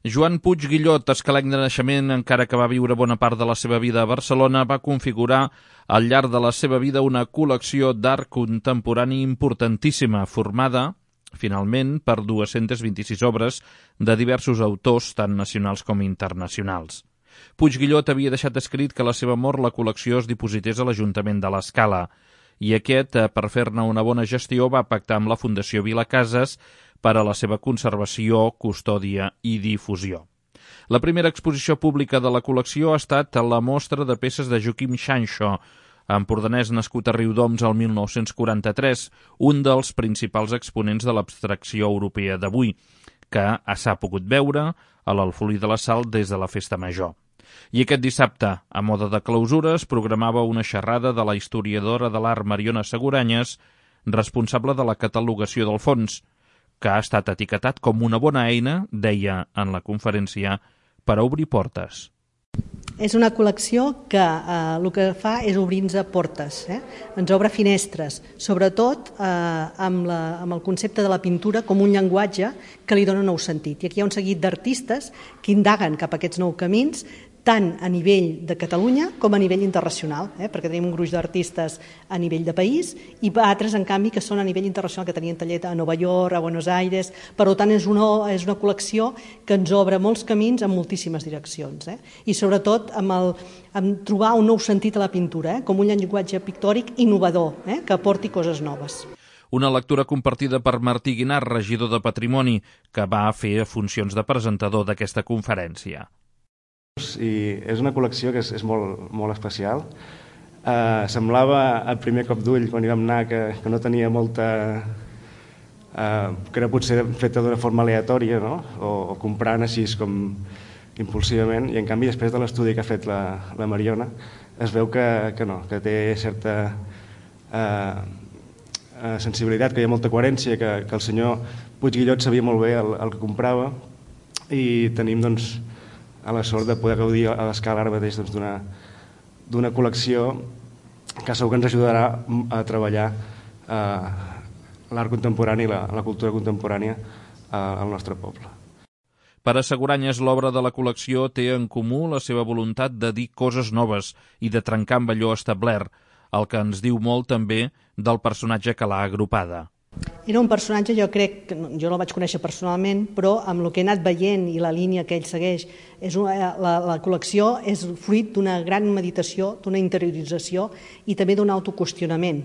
Joan Puig Guillot, escalenc de naixement, encara que va viure bona part de la seva vida a Barcelona, va configurar al llarg de la seva vida una col·lecció d'art contemporani importantíssima, formada, finalment, per 226 obres de diversos autors, tant nacionals com internacionals. Puig Guillot havia deixat escrit que a la seva mort la col·lecció es diposités a l'Ajuntament de l'Escala, i aquest, per fer-ne una bona gestió, va pactar amb la Fundació Vilacases per a la seva conservació, custòdia i difusió. La primera exposició pública de la col·lecció ha estat la mostra de peces de Joaquim Sancho, empordanès nascut a Riudoms el 1943, un dels principals exponents de l'abstracció europea d'avui, que s'ha pogut veure a l'Alfolí de la Sal des de la Festa Major. I aquest dissabte, a moda de clausura, es programava una xerrada de la historiadora de l'art Mariona Seguranyes, responsable de la catalogació del fons, que ha estat etiquetat com una bona eina, deia en la conferència, per a obrir portes. És una col·lecció que el que fa és obrir-nos portes, ens obre finestres, sobretot amb el concepte de la pintura com un llenguatge que li dona nou sentit. I aquí hi ha un seguit d'artistes que indaguen cap a aquests nous camins, tant a nivell de Catalunya com a nivell internacional, perquè tenim un gruix d'artistes a nivell de país i altres, en canvi, que són a nivell internacional, que tenien taller a Nova York, a Buenos Aires. Per tant, és una col·lecció que ens obre molts camins en moltíssimes direccions. I sobretot amb trobar un nou sentit a la pintura, com un llenguatge pictòric innovador, que aporti coses noves. Una lectura compartida per Martí Guinart, regidor de Patrimoni, que va fer funcions de presentador d'aquesta conferència. I és una col·lecció que és molt especial. Semblava al primer cop d'ull, quan hi vam anar, que no tenia molta... que era potser feta d'una forma aleatòria, no? O comprant així com impulsivament, i en canvi després de l'estudi que ha fet la Mariona es veu que no, que té certa sensibilitat, que hi ha molta coherència, que el senyor Puig Guillot sabia molt bé el que comprava, i tenim doncs a la sort de poder gaudir a l'Escala ara mateix d'una col·lecció que segur que ens ajudarà a treballar l'art contemporani i la cultura contemporània al nostre poble. Per a Seguranyes, l'obra de la col·lecció té en comú la seva voluntat de dir coses noves i de trencar amb allò establert, el que ens diu molt també del personatge que l'ha agrupada. Era un personatge, jo crec, jo no el vaig conèixer personalment, però amb el que he anat veient i la línia que ell segueix, la col·lecció és fruit d'una gran meditació, d'una interiorització i també d'un autoqüestionament.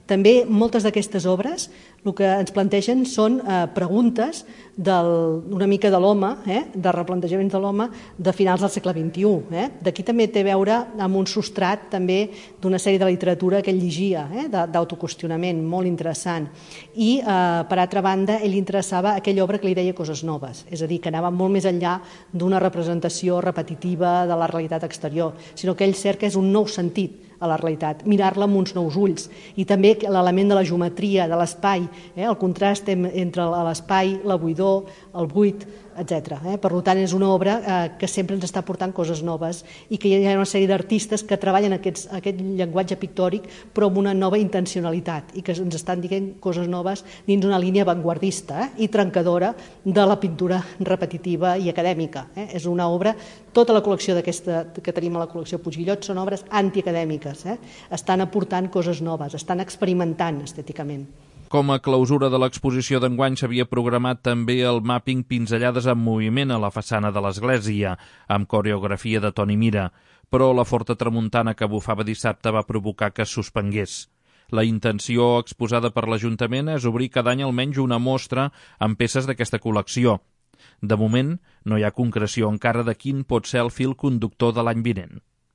També moltes d'aquestes obres el que ens plantegen són preguntes una mica de l'home, de replantejaments de l'home de finals del segle XXI. D'aquí també té a veure amb un substrat també d'una sèrie de literatura que ell llegia, d'autoqüestionament, molt interessant. I, per altra banda, ell interessava aquella obra que li deia coses noves, és a dir, que anava molt més enllà d'una representació repetitiva de la realitat exterior, sinó que ell cerca és un nou sentit a la realitat, mirar-la amb uns nous ulls, i també l'element de la geometria, de l'espai, el contrast entre l'espai, la buidor, el buit, etc. Per tant, és una obra que sempre ens està portant coses noves i que hi ha una sèrie d'artistes que treballen aquest llenguatge pictòric però amb una nova intencionalitat i que ens estan dient coses noves dins una línia avantguardista i trencadora de la pintura repetitiva i acadèmica. És una obra, tota la col·lecció que tenim a la col·lecció Puig Guillot són obres antiacadèmiques, estan aportant coses noves, estan experimentant estèticament. Com a clausura de l'exposició d'enguany s'havia programat també el màpping Pinzellades en moviment a la façana de l'església, amb coreografia de Toni Mira, però la forta tramuntana que bufava dissabte va provocar que es suspengués. La intenció exposada per l'Ajuntament és obrir cada any almenys una mostra amb peces d'aquesta col·lecció. De moment, no hi ha concreció encara de quin pot ser el fil conductor de l'any vinent.